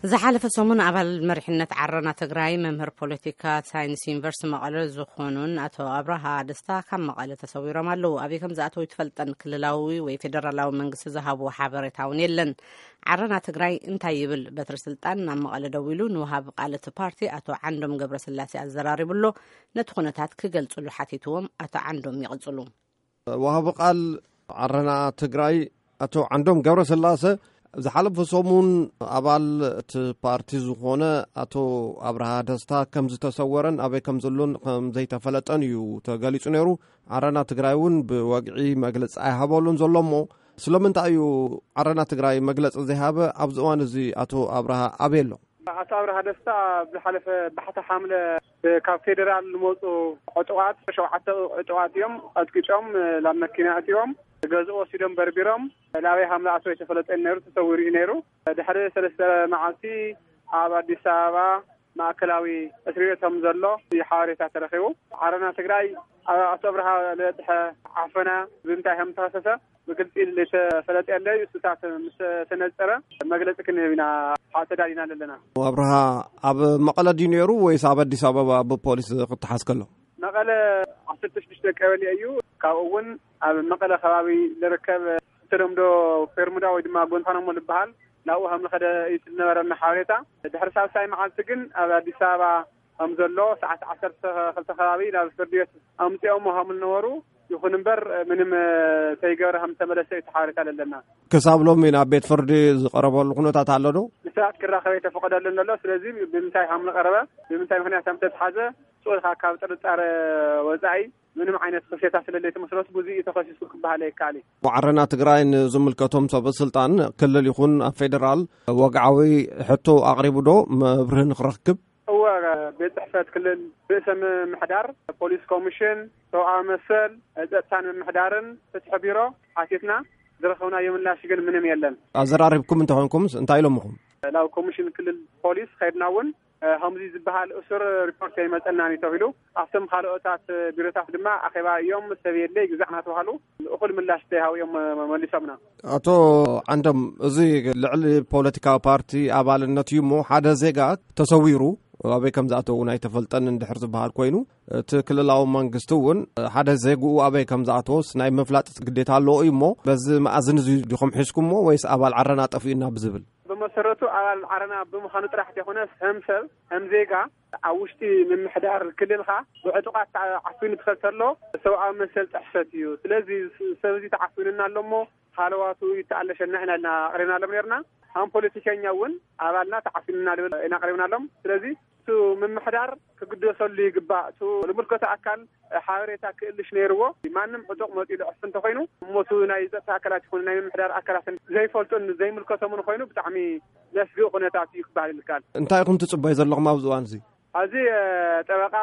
ዝሓለፈ ሰሙን ኣባል መሪሕነት ዓረና ትግራይ፣ መምህር ፖለቲካ ሳይንስ ዩኒቨርሲቲ መቐለ ዝኾኑን ኣቶ ኣብርሃ ደስታ ካብ መቐለ ተሰዊሮም ኣለዉ። ኣበይ ከም ዝኣተዉ ኣይትፈልጠን። ክልላዊ ወይ ፌደራላዊ መንግስቲ ዝሃብዎ ሓበሬታ እውን የለን። ዓረና ትግራይ እንታይ ይብል? በትሪ ስልጣን ናብ መቐለ ደዊሉ ንወሃቢ ቃል እቲ ፓርቲ ኣቶ ዓንዶም ገብረስላሴ ኣዘራሪቡ ኣሎ። ነቲ ኩነታት ክገልጽሉ ሓቲትዎም ኣቶ ዓንዶም ይቕጽሉ። ወሃቢ ቃል ዓረና ትግራይ ኣቶ ዓንዶም ገብረስላሰ፣ ዝሓለፈ ሰሙን ኣባል እቲ ፓርቲ ዝኾነ ኣቶ ኣብርሃ ደስታ ከም ዝተሰወረን ኣበይ ከም ዘሎን ከም ዘይተፈለጠን እዩ ተገሊጹ ነይሩ። ዓረና ትግራይ እውን ብወግዒ መግለጺ ኣይሃበሉን ዘሎ። እሞ ስለምንታይ እዩ ዓረና ትግራይ መግለጺ ዘይሃበ? ኣብዚ እዋን እዚ ኣቶ ኣብርሃ ኣበይ ኣሎ? ኣቶ ኣብርሃ ደስታ ኣብ ዝሓለፈ ባሕቲ ሓምለ ካብ ፌደራል ዝመፁ ዕጡቓት፣ ሸውዓተ ዕጡቓት እዮም ቀጥቂጦም፣ ናብ መኪና ኣእትዮም ገዝኡ ወሲዶም በርቢሮም፣ ናበይ ከም ዝኣተወ ኣይተፈለጠን ነይሩ፣ ተሰዊሩ እዩ ነይሩ። ድሕሪ ሰለስተ መዓልቲ ኣብ ኣዲስ ኣበባ ማእከላዊ እስሪ ቤት ከም ዘሎ እዩ ሓበሬታ ተረኺቡ። ዓረና ትግራይ ኣብ ኣቶ ኣብርሃ ዝበፅሐ ዓፈና ብምንታይ ከም ዝተኸሰሰ ብግልፂ ዝተፈለጠ የለ። እሱታት ምስ ተነፀረ መግለፂ ክንህብ ኢና ተዳሊና ዘለና። ኣብርሃ ኣብ መቐለ ድዩ ነይሩ ወይስ ኣብ ኣዲስ ኣበባ ብፖሊስ ክተሓዝ ከሎ? መቐለ ዓሰርተ ሽዱሽተ ቀበሌ እዩ። ካብኡ እውን ኣብ መቐለ ከባቢ ዝርከብ ብተለምዶ ፔርሙዳ ወይ ድማ ጎንታናሞ ዝበሃል ናብኡ ከም ዝኸደ እዩ ዝነበረና ሓበሬታ። ድሕሪ ሳልሳይ መዓልቲ ግን ኣብ ኣዲስ ኣበባ ከም ዘሎ ሰዓት ዓሰርተ ክልተ ከባቢ ናብ ፍርዲ ቤት ኣምፂኦሞ ከም ዝነበሩ፣ ይኹን እምበር ምንም ተይገበረ ከም ዝተመለሰ እዩ እቲ ሓበሬታ ዘለና። ክሳብ ሎሚ ናብ ቤት ፍርዲ ዝቐረበሉ ኩነታት ኣሎ ዶ? ንሰባት ክራኸብ ኣይተፈቐደሉን ዘሎ። ስለዚ ብምንታይ ከም ዝቐረበ፣ ብምንታይ ምኽንያት ከም ዝተትሓዘ፣ ስቕ ኢልካ ካብ ጥርጣረ ወፃኢ ምንም ዓይነት ክሴታ ስለለይ ተመስረቱ ብዙ እዩ ተኸሲሱ ክበሃል ኣይከኣል እዩ። ዓረና ትግራይ ንዝምልከቶም ሰብ ስልጣን ክልል ይኹን ኣብ ፌደራል ወግዓዊ ሕቶ ኣቕሪቡ ዶ መብርሂ ንክረክብ? እወ፣ ቤት ጽሕፈት ክልል፣ ርእሰ ምምሕዳር፣ ፖሊስ ኮሚሽን፣ ሰብኣዊ መሰል፣ ጸጥታን ምምሕዳርን ፍትሒ ቢሮ ሓቲትና ዝረኸብናዮ ምላሽ ግን ምንም የለን። ኣዘራሪብኩም እንተኾንኩምስ እንታይ ኢሎምኹም? ናብ ኮሚሽን ክልል ፖሊስ ኸድና እውን ከምዚ ዝበሃል እሱር ሪፖርት ኣይመጸናን እዩ ተባሂሉ። ኣብቶም ካልኦታት ቢሮታት ድማ ኣኼባ እዮም፣ ሰብ የለ ይግዛዕ እናተባሃሉ እኹል ምላሽ ዘይሃቡ እዮም መሊሶምና። ኣቶ ዓንዶም፣ እዚ ልዕሊ ፖለቲካዊ ፓርቲ ኣባልነት እዩ እሞ ሓደ ዜጋ ተሰዊሩ ኣበይ ከም ዝኣተው እውን ኣይተፈልጠን እንድሕር ዝበሃል ኮይኑ፣ እቲ ክልላዊ መንግስቲ እውን ሓደ ዜግኡ ኣበይ ከም ዝኣተወስ ናይ ምፍላጥ ግዴታ ኣለዎ እዩ እሞ፣ በዚ መኣዝን እዚ ዲኹም ሒዝኩሞ ወይስ ኣባል ዓረና ጠፊኡና ብዝብል? ብመሰረቱ ኣባል ዓረና ብምዃኑ ጥራሕ ዘይኮነስ፣ ከም ሰብ፣ ከም ዜጋ ኣብ ውሽጢ ምምሕዳር ክልልካ ብዕጡቓት ተዓፊኑ ትኸድ ተሎ ሰብኣዊ መሰል ጥሕሰት እዩ። ስለዚ ስ-፣ ሰብ እዚ ተዓፊኑና ኣሎ እሞ ሃለዋቱ ይተኣለሸና ኢና ኢልና ኣቕሪብናሎም ነርና። ከም ፖለቲከኛ እውን ኣባልና ተዓፊኑና ንብል ኢና ኣቕሪብናሎም። ስለዚ እሱ ምምሕዳር ክግደሰሉ ይግባእ። እሱ ዝምልከቶ ኣካል ሓበሬታ ክእልሽ ነይርዎ። ማንም ዕጡቕ መፂኡ ዝዕፍ እንተኾይኑ፣ እሞ እሱ ናይ ጸጥታ ኣካላት ይኹን ናይ ምምሕዳር ኣካላትን ዘይፈልጡን ዘይምልከቶምን ኮይኑ ብጣዕሚ ዘስግእ ኩነታት እዩ ክበሃል ይከኣል። እንታይ ኢኹም ትጽበዩ ዘለኹም ኣብዚ እዋን እዚ? ኣብዚ፣ እ፣ ጠበቃ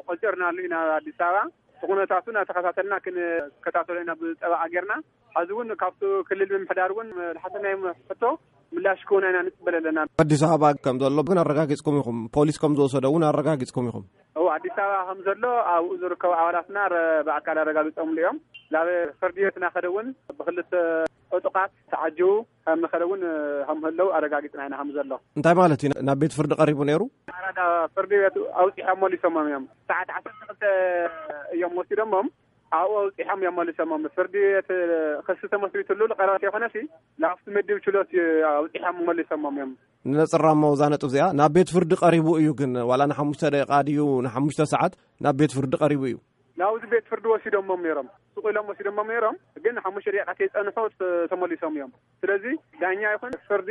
ቆጺርናሉ ኢና ኣብ ኣዲስ ኣበባ። እቲ ኩነታቱ እናተኸታተልና ክንከታተሎ ኢና ብጠበቃ ጌርና። ሕዚ እውን ካብቲ ክልል ምምሕዳር እውን ዝሓተናዮም ሕቶ ምላሽ ክህቡና ኢና ንጽበ ዘለና። ኣዲስ ኣበባ ከም ዘሎ ግን ኣረጋጊጽኩም ኢኹም፣ ፖሊስ ከም ዝወሰዶ እውን ኣረጋጊጽኩም ኢኹም። እዎ፣ ኣዲስ ኣበባ ከም ዘሎ ኣብኡ ዝርከቡ ኣባላትና ረ-፣ ብኣካል ኣረጋጊጾምሉ እዮም። ናብ ፍርዲ ቤት እናኸደ እውን ብክልተ ዕጡቓት ተዓጂቡ ከም ዝኸደ እውን ከም ህለው ኣረጋጊጽና ኢና ከም ዘሎ። እንታይ ማለት እዩ? ናብ ቤት ፍርዲ ቀሪቡ ነይሩ? ኣራዳ ፍርዲ ቤት ኣውጺሖም መሊሶሞም እዮም። ሰዓት ዓሰርተ ክልተ እዮም ወሲዶሞም። ኣብኡ ኣውጺሖም እዮም መሊሶሞም። ፍርዲ ቤት ክሲ ተመስሪትሉ ዝቐረበ ዘይኮነሲ፣ ናብቲ ምድብ ችሎት ኣውጺሖም መሊሶሞም እዮም። ንነጽራ እሞ እዛ ነጥብ እዚኣ፣ ናብ ቤት ፍርዲ ቀሪቡ እዩ ግን፣ ዋላ ንሓሙሽተ ደቂቃ ድዩ ንሓሙሽተ ሰዓት ናብ ቤት ፍርዲ ቀሪቡ እዩ? ናብዚ ቤት ፍርዲ ወሲዶሞም ነይሮም። ስቕ ኢሎም ወሲዶሞም ነይሮም። ግን ሓሙሽተ ደቂቃ ከይጸንሑ ተ-፣ ተመሊሶም እዮም። ስለዚ ዳኛ ይኹን ፍርዲ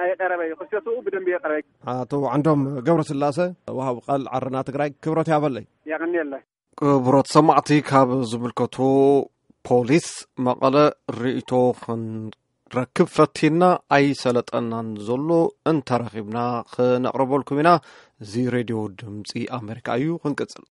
ኣይቀረበ እዩ። ክሰትኡ ብደንቢ የቀረበ። ኣቶ ዓንዶም ገብረስላሰ፣ ወሃቢ ቃል ዓረና ትግራይ፣ ክብረት ያበለይ። የቐንየለይ። ክቡራት ሰማዕቲ፣ ካብ ዝምልከቶ ፖሊስ መቐለ ርእይቶ ክንረክብ ፈቲና ኣይሰለጠናን ዘሎ፣ እንተረኺብና ክነቕርበልኩም ኢና። እዚ ሬድዮ ድምፂ ኣሜሪካ እዩ። ክንቅፅል።